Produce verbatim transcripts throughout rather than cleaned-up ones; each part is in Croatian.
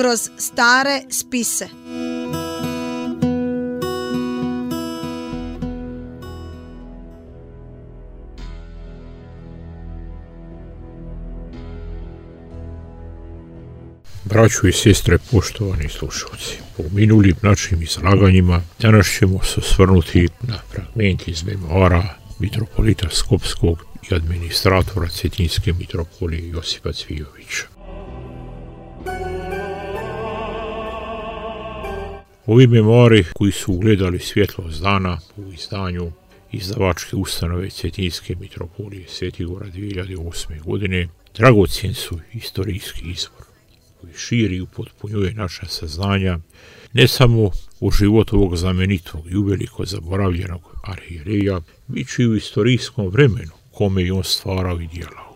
kroz stare spise. Braćo i sestre, poštovani slušalci, po minulim našim izlaganjima danas ćemo se osvrnuti na fragment iz memoara mitropolita Skopskog i administratora Cetinske mitropolije Josipa Cvijovića. Ovi memoari koji su ugledali svjetlost dana u izdanju izdavačke ustanove Cetinske mitropolije Svetigora dvije hiljade osme. godine dragocjen su istorijski izvor koji širi i upotpunjuje naša saznanja ne samo o životu ovog znamenitog i uveliko zaboravljenog arhijereja, već i u istorijskom vremenu kome je on stvarao i djelao.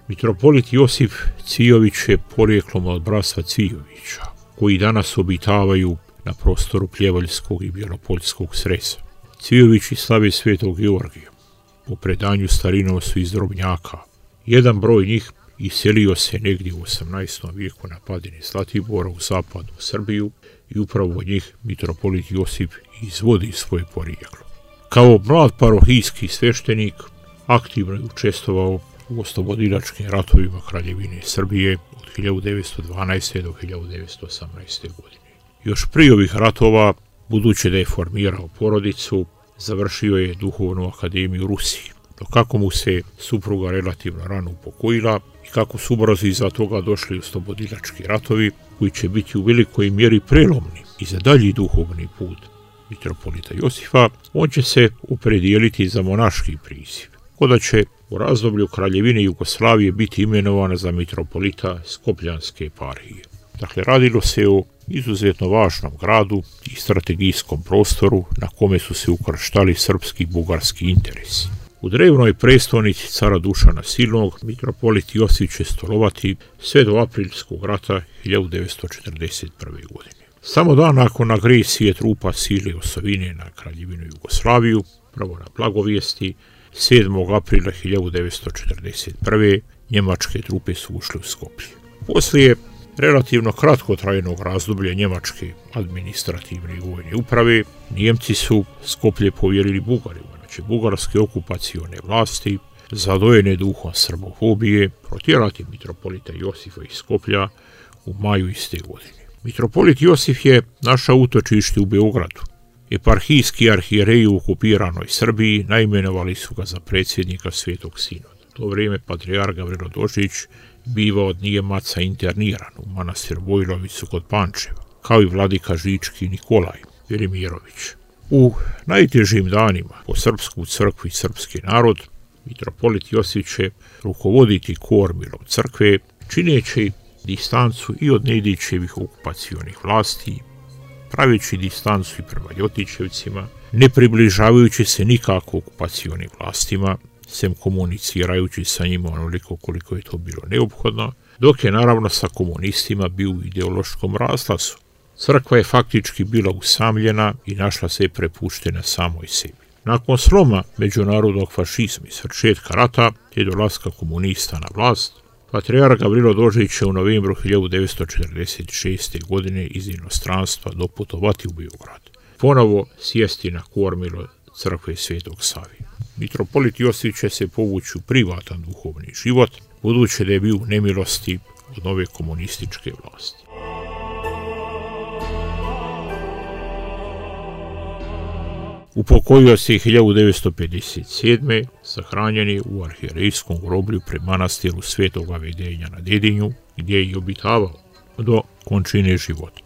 Mitropolit Josip Cvijović je porijeklom od bratstva Cvijovića, koji danas obitavaju na prostoru Pljevaljskog i Bjelopoljskog sreza. Cvijovići slave Svetog Georgija. U predanju starinom su iz Drobnjaka. Jedan broj njih iselio se negdje u osamnaestom vijeku na padini Zlatibora u zapadnu Srbiju i upravo od njih mitropolit Josip izvodi svoje porijeklo. Kao mlad parohijski sveštenik aktivno je učestvovao u oslobodilačkim ratovima Kraljevine Srbije od hiljadu devetsto dvanaeste. do hiljadu devetsto osamnaeste. godine. Još prije ovih ratova, budući da je formirao porodicu, završio je duhovnu akademiju u Rusiji, no kako mu se supruga relativno rano upokojila i kako su ubrzo iza toga došli oslobodilački ratovi koji će biti u velikoj mjeri prelomni i za dalji duhovni put mitropolita Josipa, on će se opredijeliti za monaški priziv, koda će u razdoblju Kraljevine Jugoslavije biti imenovana za mitropolita Skopljanske eparhije. Dakle, radilo se o izuzetno važnom gradu i strategijskom prostoru na kome su se ukrštali srpski i bugarski interesi. U drevnoj prestolnici cara Dušana Silnog mitropolit Josip će stolovati sve do Aprilskog rata hiljadu devetsto četrdeset prve. godine. Samo dan nakon agresije trupa sile osovine na Kraljevinu Jugoslaviju, prvo na Blagovijesti, sedmog aprila hiljadu devetsto četrdeset prve. njemačke trupe su ušle u Skoplje. Poslije relativno kratkotrajnog razdoblja njemačke administrativne i vojne uprave, Nijemci su Skoplje povjerili Bugarima, znači bugarske okupacione vlasti, zadojene duhom srbofobije, protjerati mitropolita Josipa iz Skoplja u maju iste godine. Mitropolit Josip je našao utočište u Beogradu. Eparhijski arhijereji u okupiranoj Srbiji naimenovali su ga za predsjednika Svetog Sinoda. U to vrijeme patrijarh Gavrilo Dožić biva od Nijemaca interniran u manastir Vojlovicu kod Pančeva, kao i vladika Žički Nikolaj Velimirović. U najtežim danima po srpsku crkvu i srpski narod, mitropolit Josip će rukovoditi kormilom crkve, čineći distancu i od Nedićevih okupacionih vlasti, praveći distancu i prema Ljotićevcima, ne približavajući se nikako okupacionim vlastima, sem komunicirajući sa njima onoliko koliko je to bilo neophodno, dok je naravno sa komunistima bio u ideološkom razlazu. Crkva je faktički bila usamljena i našla se prepuštena samoj sebi. Nakon sloma međunarodnog fašizma i svršetka rata te dolaska komunista na vlast, patrijarh Gavrilo Dožić će u novembru hiljadu devetsto četrdeset šeste. godine iz inostranstva doputovati u Beograd, ponovo sjesti na kormilo crkve Svetog Save. Mitropolit Josip će se povući u privatan duhovni život, budući da je bio u nemilosti od nove komunističke vlasti. Upokojio se hiljadu devetsto pedeset sedme. sahranjen je u arhijerejskom groblju pri manastiru Svetoga Vedenja na Dedinju, gdje je i obitavao do končine života.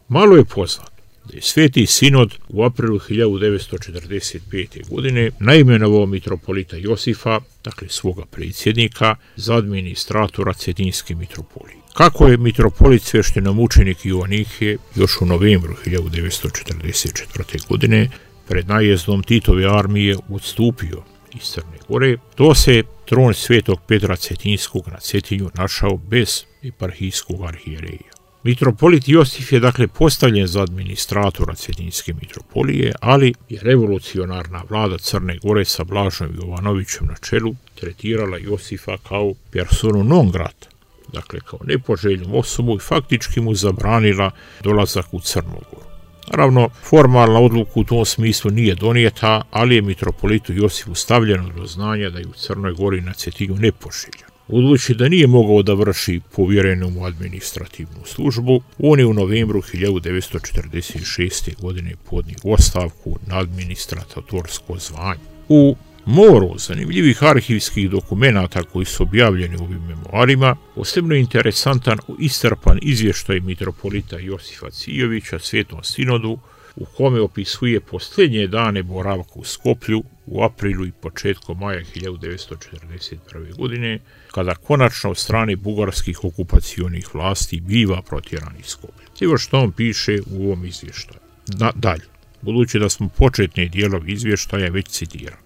Malo je poznato da je Sveti Sinod u aprilu hiljadu devetsto četrdeset pete. godine naimenovao mitropolita Josipa, dakle svoga predsjednika, za administratora Cetinske mitropolije. Kako je mitropolit sveštenomučenik Joanihije još u novembru hiljadu devetsto četrdeset četvrte. godine pred najezdom Titove armije odstupio iz Crne Gore, to se tron Svetog Petra Cetinskog na Cetinju našao bez eparhijskog arhijereja. Mitropolit Josif je dakle postavljen za administratora Cetinske mitropolije, ali je revolucionarna vlada Crne Gore sa Blažom Jovanovićem na čelu tretirala Josifa kao personu non grata, dakle kao nepoželjnu osobu i faktički mu zabranila dolazak u Crnu Goru. Naravno, formalna odluka u tom smislu nije donijeta, ali je mitropolitu Josifu stavljeno do znanja da je u Crnoj Gori na Cetinju nepoželjan. Budući da nije mogao da vrši povjerenu mu administrativnu službu, on je u novembru hiljadu devetsto četrdeset šeste. godine podnio ostavku na administratorsko zvanje. U moru zanimljivih arhivskih dokumenata koji su objavljeni u ovim memoarima, posebno interesantan i iscrpan izvještaj mitropolita Josifa Cijovića Svetom sinodu, u kome opisuje posljednje dane boravka u Skoplju u aprilu i početkom maja hiljadu devetsto četrdeset prve. godine, kada konačno od strane bugarskih okupacionih vlasti biva protjeran iz Skoplja. Evo što on piše u ovom izvještaju. Na, dalje, budući da smo početne dijelove izvještaja već citirali.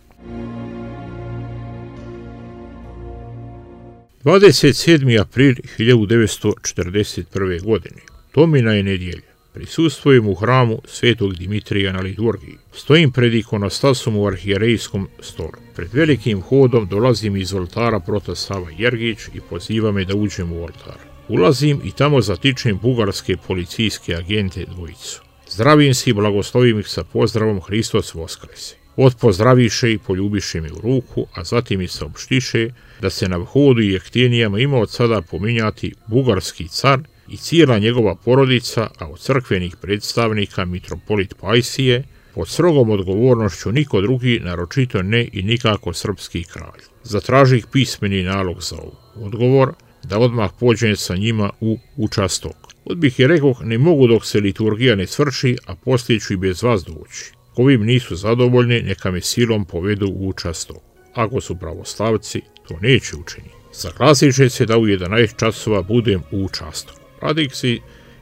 dvadeset sedmi april hiljadu devetsto četrdeset prve. godine, Tomina je nedjelja. Prisustvujem u hramu Svetog Dimitrija na liturgiji. Stojim pred ikonostasom u arhijerejskom stolu. Pred velikim hodom dolazim iz oltara prota Sava Jergić i poziva me da uđem u oltar. Ulazim i tamo zatičem bugarske policijske agente dvojicu. Zdravim se i blagoslovim ih sa pozdravom Hristos Voskrese. Odpozdraviše i poljubiše me u ruku, a zatim mi saopštiše da se na vhodu i jeftinijama ima od sada pominjati bugarski car i cijela njegova porodica, a od crkvenih predstavnika mitropolit Pajsije, pod strogom odgovornošću niko drugi, naročito ne i nikako srpski kralj. Zatražih pismeni nalog za ovo. Odgovor, da odmah pođem sa njima u učastok. Odbih je rekoh, ne mogu dok se liturgija ne svrši, a poslije ću i bez vas doći. Ovim nisu zadovoljni, neka me silom povedu u učastok. Ako su pravoslavci, to neće učiniti. Saglasit će se da u jedanaest časova budem u učastoku. Radih si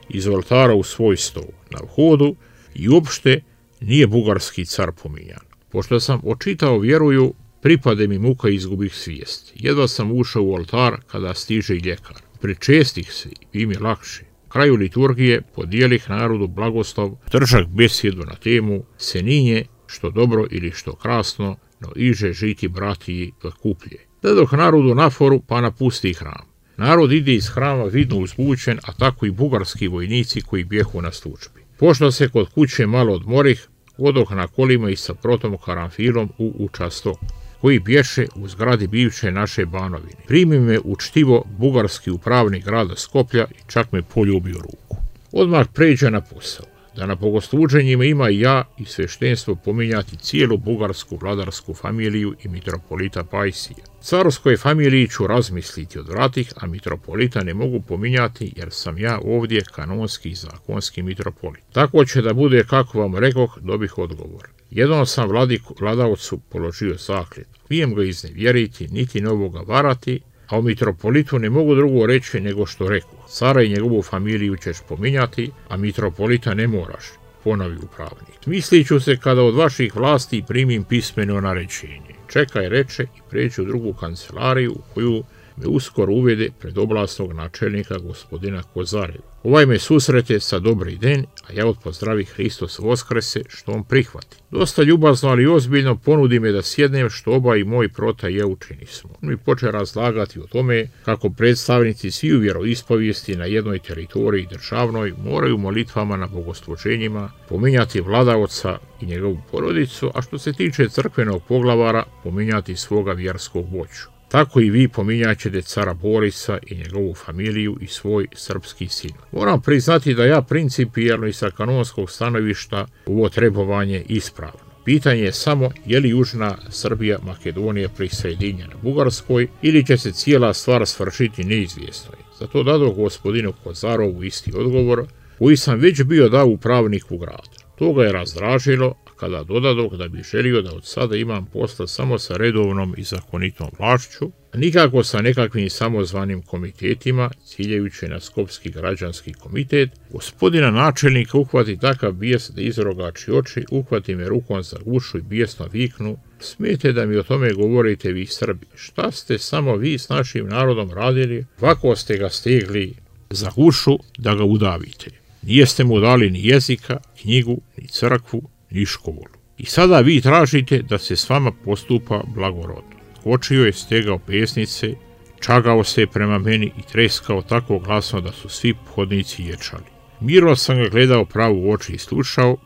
iz oltara u svoj stol na vhodu i uopšte nije bugarski car pominjan. Pošto sam očitao vjeruju, pripade mi muka i izgubih svijest. Jedva sam ušao u oltar kada stiže i ljekar. Pričestih se i bi mi lakše. Kraju liturgije podijelih narodu blagoslov, držak besjedu na temu Seninje, što dobro ili što krasno, no iže žiti bratiji kuplje. Dadoh narodu naforu pa napusti hram. Narod ide iz hrama vidno uzbučen, a tako i bugarski vojnici koji bjehu na službi. Pošto se kod kuće malo odmorih, odoh na kolima i sa protom karanfilom u učastok, koji bješe u zgradi bivše naše Banovine. Primi me učtivo bugarski upravnik grada Skoplja i čak me poljubio ruku. Odmah pređe na posao, da na bogosluženjima ima i ja i sveštenstvo pominjati cijelu bugarsku vladarsku familiju i mitropolita Pajsija. Carskoj familiji ću razmisliti odvratih, a mitropolita ne mogu pominjati jer sam ja ovdje kanonski i zakonski mitropolit. Tako će da bude kako vam rekoh, dobih odgovor. Jednom sam vladiku, vladavcu položio zakljet. Vijem ga iznevjeriti, niti novoga varati, a o mitropolitu ne mogu drugo reći nego što reku. Cara i njegovu familiju ćeš pominjati, a mitropolita ne moraš, ponovi upravnik. Mislit ću se kada od vaših vlasti primim pismeno naređenje. Čekaj, reče i pređu u drugu kancelariju u koju me uskoro uvede pred oblasnog načelnika gospodina Kozareva. Ovaj me susrete sa dobri den, a ja odpozdravi Hristos Voskrese, što on prihvati. Dosta ljubazno, ali ozbiljno ponudi me da sjednem, što oba i moj prota i ja učinismo. On mi poče razlagati o tome kako predstavnici sviju vjeroispovijesti na jednoj teritoriji državnoj moraju molitvama na bogosluženjima pominjati vladaoca i njegovu porodicu, a što se tiče crkvenog poglavara pominjati svoga vjerskog vođu. Tako i vi pominjat ćete cara Borisa i njegovu familiju i svoj srpski sin. Moram priznati da ja principijelno i sa kanonskog stanovišta ovo trebovanje ispravno. Pitanje je samo je li Južna Srbija Makedonija prisjedinjena Bugarskoj ili će se cijela stvar svršiti neizvjesno. Zato dado gospodinu Kozarovu isti odgovor koji sam već bio dao upravniku grada. To ga je razdražilo, kada dodadog da bi želio da od sada imam posla samo sa redovnom i zakonitom vlašću, a nikako sa nekakvim samozvanim komitetima, ciljajući na Skopski građanski komitet, gospodina načelnika uhvati takav bijes da izrogači oči, uhvati me rukom za gušu i bijesno viknu: smijete da mi o tome govorite vi Srbi, šta ste samo vi s našim narodom radili, ovako ste ga stegli za gušu da ga udavite. Nijeste mu dali ni jezika, knjigu, ni crkvu, ni školu. I sada vi tražite da se s vama postupa blagorodno. Skočio je, stegao pesnice, čagao se prema meni i treskao tako glasno da su svi hodnici ječali. Mirno sam ga gledao pravo u oči i slušao,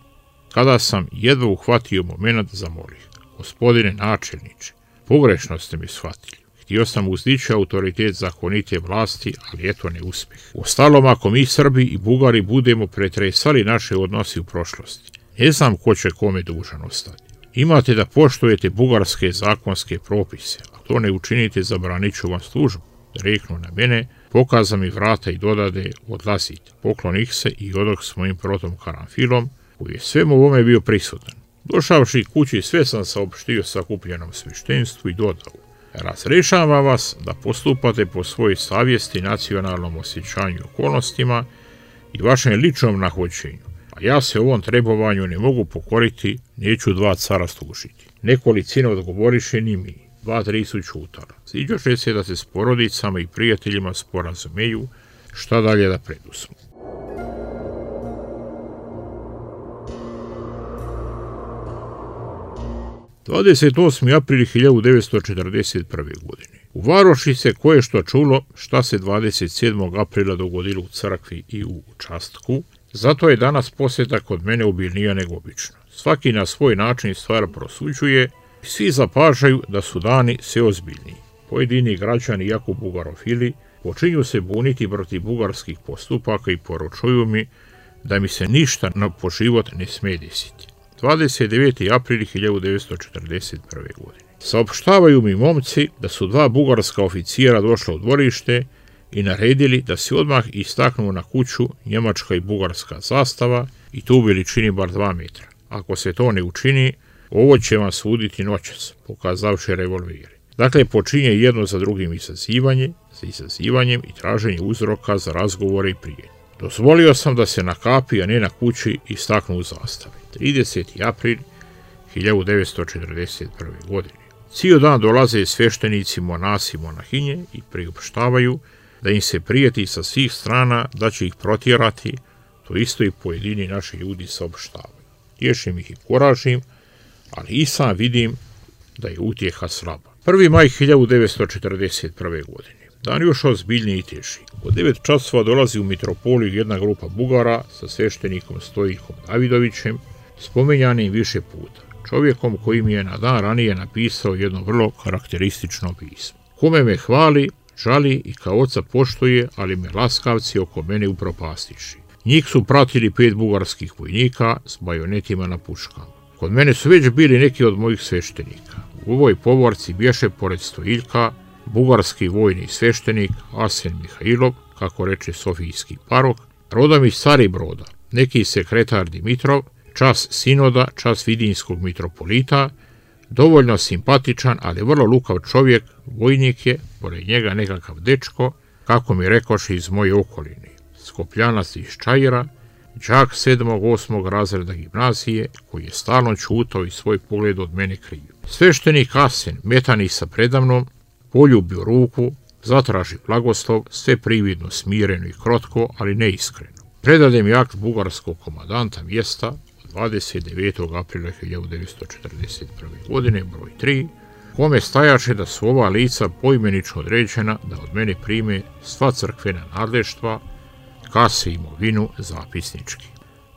kada sam jedva uhvatio moment zamolih. Gospodine načelniče, pogrešno ste mi shvatili. Htio sam uzdići autoritet zakonite vlasti, ali eto ne uspeh. Uostalom, ako mi Srbi i Bugari budemo pretresali naše odnosi u prošlosti, ne znam ko će kome dužan ostati. Imate da poštujete bugarske zakonske propise, a to ne učinite, zabranit ću vam službu. Reknu na mene, pokaza mi vrata i dodade, odlazite. Poklonih se i odok s mojim protom Karanfilom, koji je svemu ovome bio prisutan. Došavši kući, sve sam saopštio sakupljenom sveštenstvu i dodao: razrešavam vas da postupate po svojoj savjesti, nacionalnom osjećanju i okolnostima i vašem ličnom nahođenju, a ja se ovom trebovanju ne mogu pokoriti, neću dva cara služiti. Nekolicina odgovoriše ni mi, dva tri su čutala. Sviđoše se da se s porodicama i prijateljima sporazumeju šta dalje da preduzmu. dvadeset osmi april hiljadu devetsto četrdeset prve. godine. U varoši se koje što čulo šta se dvadeset sedmog aprila dogodilo u crkvi i u Častku, zato je danas posjeta kod mene obilnija nego obično. Svaki na svoj način stvar prosuđuje i svi zapažaju da su dani sve ozbiljniji. Pojedini građani, jako bugarofili, počinju se buniti protiv bugarskih postupaka i poručuju mi da mi se ništa na po život ne smije desiti. dvadeset deveti april hiljadu devetsto četrdeset prve. godine. Saopštavaju mi momci da su dva bugarska oficijera došla u dvorište i naredili da se odmah istaknu na kuću njemačka i bugarska zastava i to u veličini bar dva metra. Ako se to ne učini, ovo će vam suditi noćas, pokazavši revolvere. Dakle, počinje jedno za drugim izazivanje, za izazivanjem i traženje uzroka za razgovore i prijetnje. Dozvolio sam da se na kapi, a ne na kući, istaknu u zastave. trideseti april hiljadu devetsto četrdeset prve. godine. Cijel dan dolaze sveštenici, monasi i monahinje i priopštavaju da im se prijeti sa svih strana da će ih protjerati, to isto i pojedini naši ljudi saopštavaju. Tješim ih i kuražim, ali i sam vidim da je utjeha slaba. prvi maj hiljadu devetsto četrdeset prve. godine. Dan još ozbiljniji i teži. U devet časova dolazi u mitropoliju jedna grupa Bugara sa sveštenikom Stojihom Davidovićem, spomenjanim više puta, čovjekom koji mi je na dan ranije napisao jedno vrlo karakteristično pismo. Kome me hvali, žali i kao oca poštuje, ali me laskavci oko mene upropastiši. Njih su pratili pet bugarskih vojnika s bajonetima na puškama. Kod mene su već bili neki od mojih sveštenika. U ovoj povorci bješe pored Stojiljka bugarski vojni sveštenik Arsen Mihajlov, kako reče sofijski parok, rodom iz Caribroda, neki sekretar Dimitrov, čas sinoda, čas vidinskog mitropolita, dovoljno simpatičan, ali vrlo lukav čovjek, vojnik je, pored njega nekakav dečko, kako mi rekoše iz moje okoline, Skopljanac iz Čajira, đak sedmog osmog razreda gimnazije, koji je stalno čutao i svoj pogled od mene krio. Sveštenik Arsen, metani sa predamnom, poljubio ruku, zatraži blagoslov, sve prividno smireno i krotko, ali neiskreno. Predade mi akt bugarskog komadanta mjesta dvadeset devetog aprila hiljadu devetsto četrdeset prve. godine, broj tri, kome stajaše da su ova lica poimenično određena da od mene prime sva crkvena nadleštva, kase i imovinu zapisnički.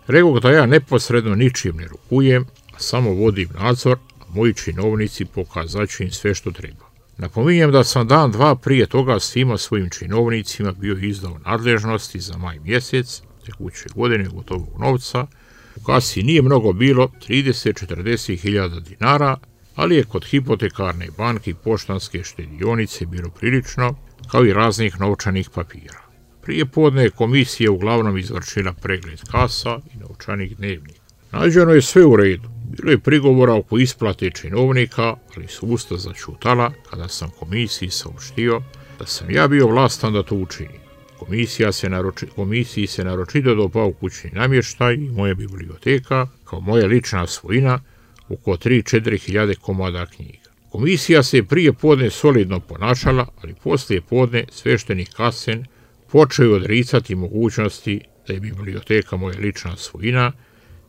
Rekao da ja neposredno ničim ne rukujem, a samo vodim nadzor, a moji činovnici pokazaće im sve što treba. Napominjem da sam dan dva prije toga svima svojim činovnicima bio izdao nadležnosti za maj mjesec, tekuće godine gotovog novca. U kasi nije mnogo bilo, trideset do četrdeset hiljada dinara, ali je kod hipotekarne banke i poštanske štedionice bilo prilično, kao i raznih novčanih papira. Prije podne je komisija uglavnom izvršila pregled kasa i novčanih dnevnika. Nađeno je sve u redu. Bilo je prigovora oko isplate činovnika, ali su usta začutala kada sam komisiji saopštio da sam ja bio vlastan da to učinim. Komisija se naroči, komisiji se naročito dopao kućni namještaj i moja biblioteka, kao moja lična svojina, oko tri do četiri hiljade komada knjiga. Komisija se prije podne solidno ponašala, ali poslije podne sveštenik Arsen počeo je odricati mogućnosti da je biblioteka moja lična svojina,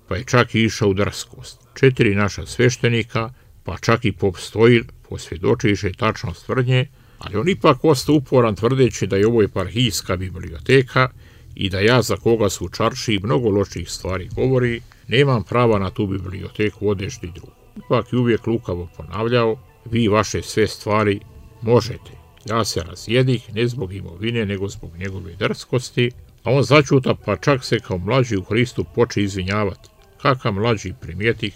pa je čak i išao u drskost. Četiri naša sveštenika, pa čak i pop Stojil, posvjedočiše tačnost tvrdnje, ali on ipak ostao uporan tvrdeći da je ovo eparhijska biblioteka i da ja, za koga su čarši mnogo loših stvari govori, nemam prava na tu biblioteku odešti drugu. Ipak je uvijek lukavo ponavljao, vi vaše sve stvari možete. Ja se razjedih ne zbog imovine, nego zbog njegove drskosti, a on začuta, pa čak se kao mlađi u Hristu poče izvinjavati. Kakav mlađi primijetih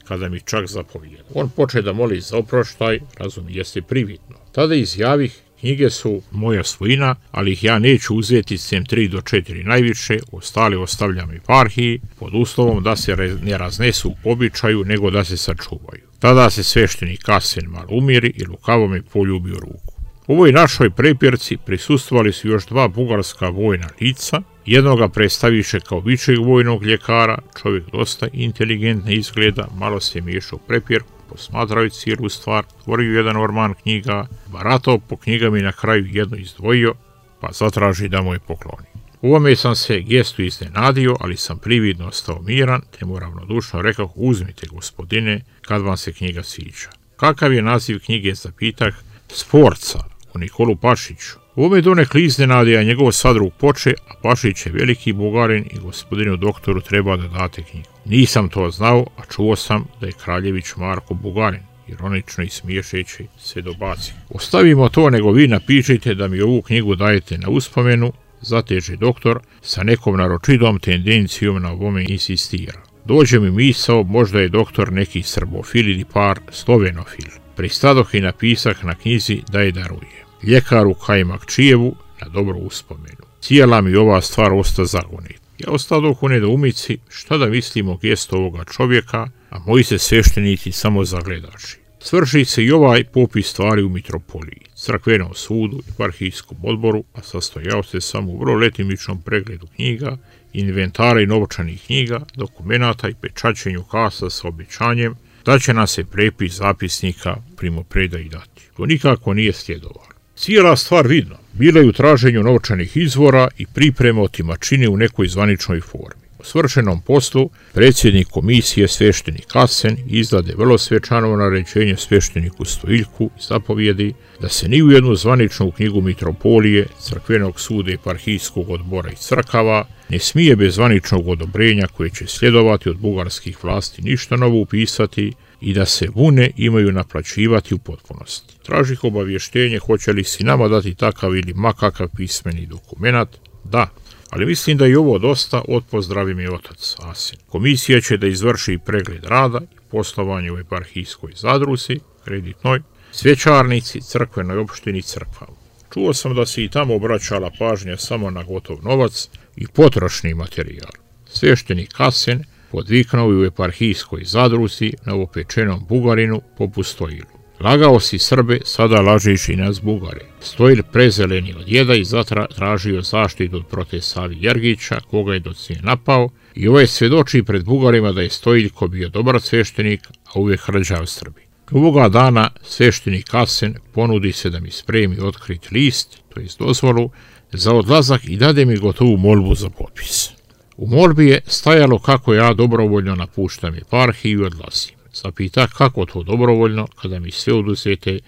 kada mi čak zapovijeda. On poče da moli za oproštaj, razumije se prividno. Tada izjavih, knjige su moja svojina, ali ih ja neću uzeti sem tri do četiri najviše, ostale ostavljam eparhiji, pod uslovom da se ne raznesu po običaju, nego da se sačuvaju. Tada se sveštenik Kasen malo umiri i lukavo me poljubi u ruku. U ovoj našoj prepirci prisustvovali su još dva bugarska vojna lica, jednoga predstaviše kao višeg vojnog ljekara, čovjek dosta inteligentne izgleda, malo se miješao u prepirku, posmatrao cijelu stvar, otvorio jedan orman knjiga, baratao po knjigama i na kraju jedno izdvojio, pa zatraži da mu je pokloni. U ovome sam se gestu iznenadio, ali sam prividno ostao miran, te mu ravnodušno rekao, uzmite gospodine, kad vam se knjiga sviđa. Kakav je naziv knjige, zapitah, Sforca, o Nikolu Pašiću. U ovome donekle iznenadija njegov sadrug poče, a Pašić je veliki Bugarin i gospodinu doktoru treba da date knjigu. Nisam to znao, a čuo sam da je Kraljević Marko Bugarin, ironično i smiješeći se dobaci. Ostavimo to, nego vi napišite da mi ovu knjigu dajete na uspomenu, zateže doktor, sa nekom naročitom tendencijom na ovome insistira. Dođe mi misao, možda je doktor neki srbofil ili par slovenofil. Pristadoh i napisah na knjizi da je daruje. Ljekaru Kajmakčijevu na dobro uspomenu. Cijela mi ova stvar osta zagonit. Ja ostadoh u nedoumici šta da mislim o gestu ovoga čovjeka, a moji se sveštenici samo zagledači. Svrši se i ovaj popis stvari u mitropoliji, crkvenom sudu i eparhijskom odboru, a sastojao se samo u vrlo letimičnom pregledu knjiga, inventara i novčanih knjiga, dokumenata i pečaćenju kasa sa obećanjem da će nam se prepis zapisnika primopredaji dati. To nikako nije sljedovalo. Cijela stvar vidno, bila je u traženju novčanih izvora i priprema otimačine u nekoj zvaničnoj formi. U svršenom poslu, predsjednik komisije sveštenik Kasen izrade vrlo svečano naređenje svešteniku Stojiljku i zapovjedi da se ni u jednu zvaničnu knjigu mitropolije, crkvenog suda, eparhijskog odbora i crkava ne smije bez zvaničnog odobrenja koje će sljedovati od bugarskih vlasti ništa novo upisati i da se vune imaju naplaćivati u potpunosti. Tražih obavještenje hoće li si nama dati takav ili makakav pismeni dokumenat? Da, ali mislim da je ovo dosta, odpozdravi mi otac Asin. Komisija će da izvrši pregled rada i poslovanje u eparhijskoj zadruzi, kreditnoj, svećarnici, crkvenoj opštini, crkvama. Čuo sam da se i tamo obraćala pažnja samo na gotov novac i potrošni materijal. Sveštenik Kasen podviknuo i u eparhijskoj zadruzi novopečenom Bugarinu poput Stojilu. Lagao si Srbe, sada lažiš i nas Bugare. Stojil prezeleni od jeda i zatražio zaštitu od prote Savi Jergića, koga je docnije napao, i ovaj svjedoči pred Bugarima da je Stojiljko bio dobar sveštenik, a uvijek hrđav Srbi. Ovoga dana sveštenik Kasen ponudi se da mi spremi otkrit list, to jest dozvolu, za odlazak i dade mi gotovu molbu za potpis. U molbi je stajalo kako ja dobrovoljno napuštam eparhiju i odlazim. Zapita kako to dobrovoljno kada mi sve oduzete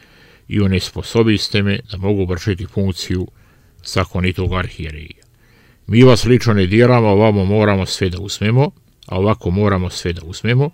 i onesposobiste me da mogu vršiti funkciju zakonitog arhijerija. Mi vas lično ne diramo, ovamo moramo sve da uzmemo, a ovako moramo sve da uzmemo,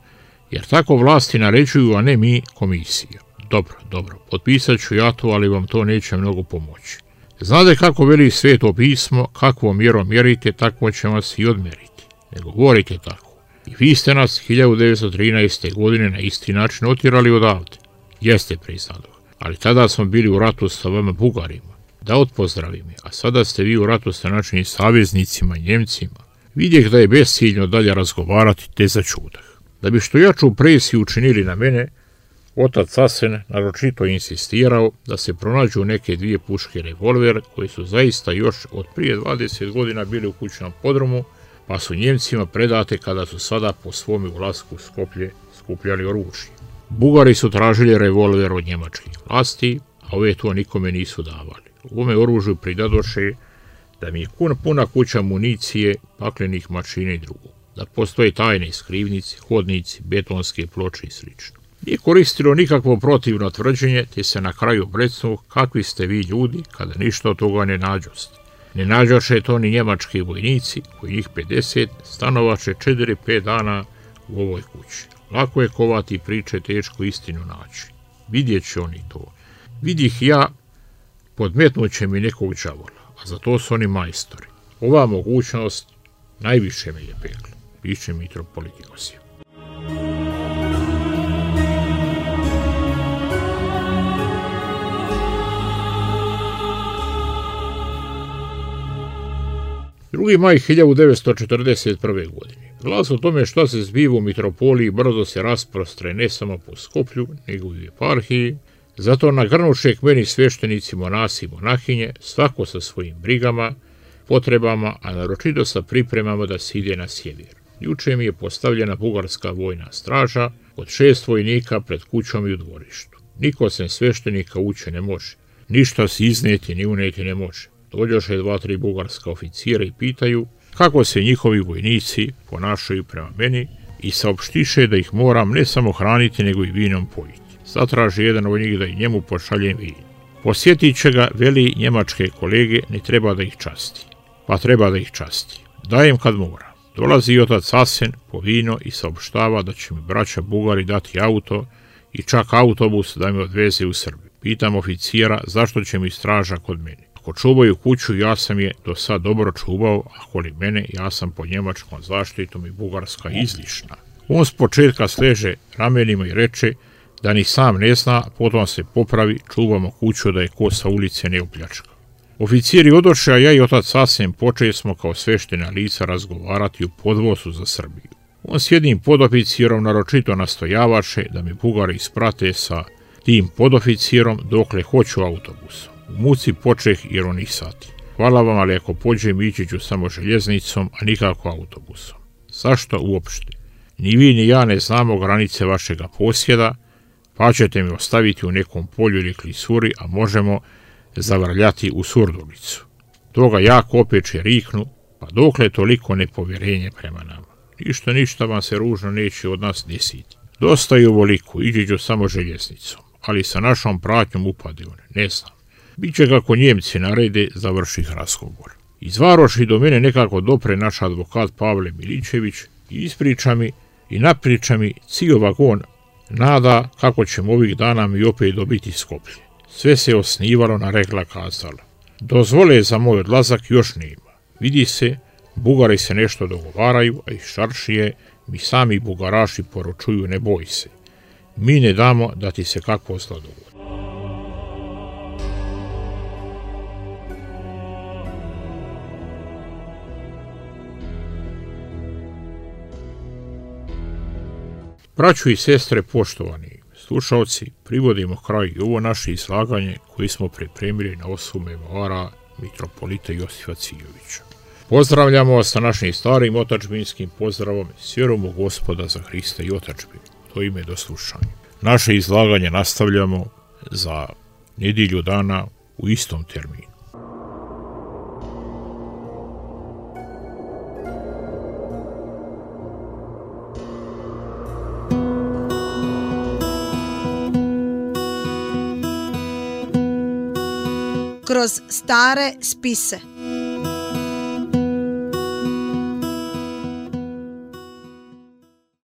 jer tako vlasti naređuju, a ne mi, komisija. Dobro, dobro, potpisat ću ja to, ali vam to neće mnogo pomoći. Znate kako veli sveto pismo, kakvom mjerom mjerite, tako će vas i odmeriti. Ne govorite tako. I vi ste nas hiljadu devetsto trinaeste. godine na isti način otjerali odavde. Jeste, priznadoh, ali tada smo bili u ratu sa vama Bugarima. Da odpozdravi me, a sada ste vi u ratu sa našim saveznicima, Njemcima. Vidjeh da je besciljno dalje razgovarati, te začudah. Da bi što jaču presiju učinili na mene, otac Asen naročito insistirao da se pronađu neke dvije puške revolver koje su zaista još od prije dvadeset godina bili u kućnom podrumu, pa su Njemcima predate kada su sada po svome ulasku u Skoplje skupljali oružje. Bugari su tražili revolver od njemačkih vlasti, a ove to nikome nisu davali. U ovome oružju pridadoše da mi je puna kuća municije, paklenih mašina i drugo, da postoje tajne skrivnici, hodnici, betonske ploče i sl. Nije koristilo nikakvo protivno tvrđenje, te se na kraju brecnu kakvi ste vi ljudi kada ništa od toga ne nađoste. Ne nađoše to ni njemački vojnici, koji njih pedeset stanovaše četiri pet dana u ovoj kući. Lako je kovati priče, teško istinu naći. Vidjet će oni to. Vidih ja, podmetnut će mi nekog đavola, a za to su oni majstori. Ova mogućnost najviše me je pekla, piše mitropolit Josif. drugi maj hiljadu devetsto četrdeset prve. godine. Glas o tome šta se zbiva u mitropoliji brzo se rasprostre ne samo po Skoplju, nego i u eparhiji. Zato nagrnuše k meni sveštenici, monasi i monahinje, svako sa svojim brigama, potrebama, a naročito sa pripremama da se ide na sjever. Juče mi je postavljena bugarska vojna straža od šest vojnika pred kućom i u dvorištu. Niko sem sveštenika ući ne može. Ništa se izneti ni uneti ne može. Dođoše dva, tri bugarska oficira i pitaju kako se njihovi vojnici ponašaju prema meni i saopštiše da ih moram ne samo hraniti, nego i vinom pojiti. Zatraži jedan od njih da i njemu pošaljem vin. Posjetit će ga, veli, njemačke kolege, ne treba da ih časti. Pa treba da ih časti. Dajem kad mora. Dolazi otac Asen po vino i saopštava da će mi braća Bugari dati auto i čak autobus da me odveze u Srbiju. Pitam oficijera zašto će mi straža kod mene. Ako čuvaju kuću, ja sam je do sad dobro čuvao, a koli mene, ja sam pod njemačkom zaštitom i bugarska izlišna. On s početka sleže ramenima i reče da ni sam ne zna, potom se popravi, čuvamo kuću da je ko sa ulice ne opljačka. Oficiri odoše, a ja i otac Asen počeli smo kao sveštena lica razgovarati u podvozu za Srbiju. On s jednim podoficijerom naročito nastojavaše da mi Bugari isprate sa tim podoficijerom dokle hoću autobusom. U muci počeh jer on ih sati. Hvala vam, ali ako pođem ići ću samo željeznicom, a nikako autobusom. Zašto uopšte? Ni vi ni ja ne znamo granice vašega posjeda, pa ćete mi ostaviti u nekom polju ili klisuri, a možemo zavrljati u Surdulicu. Toga jako opeče riknu, pa dokle toliko nepovjerenje prema nama. Ništa, ništa vam se ružno neće od nas desiti. Dosta je ovoliko, ići ću samo željeznicom, ali sa našom pratnjom upade on, ne znam. Biće kako Njemci narede, završih razgovor. Iz Varoši do mene nekako dopre naš advokat Pavle Miličević i ispriča mi i napriča mi cijel vagon nada kako ćemo ovih dana mi opet dobiti Skoplje. Sve se osnivalo na regla kazala. Dozvole za moj odlazak još nema. Vidi se, Bugari se nešto dogovaraju, a iz Šaršije mi sami Bugaraši poručuju ne boj se. Mi ne damo da ti se kakvo zlo dogodi. Braćo i sestre, poštovani slušalci, privodimo kraj i ovo naše izlaganje koje smo pripremili na osnovu memoara mitropolita Josifa Cijovića. Pozdravljamo vas sa našim starim otadžbinskim pozdravom s vjerom u Gospoda za Hrista i otadžbinu. To ime do slušanja. Naše izlaganje nastavljamo za nedjelju dana u istom terminu. Kroz stare spise.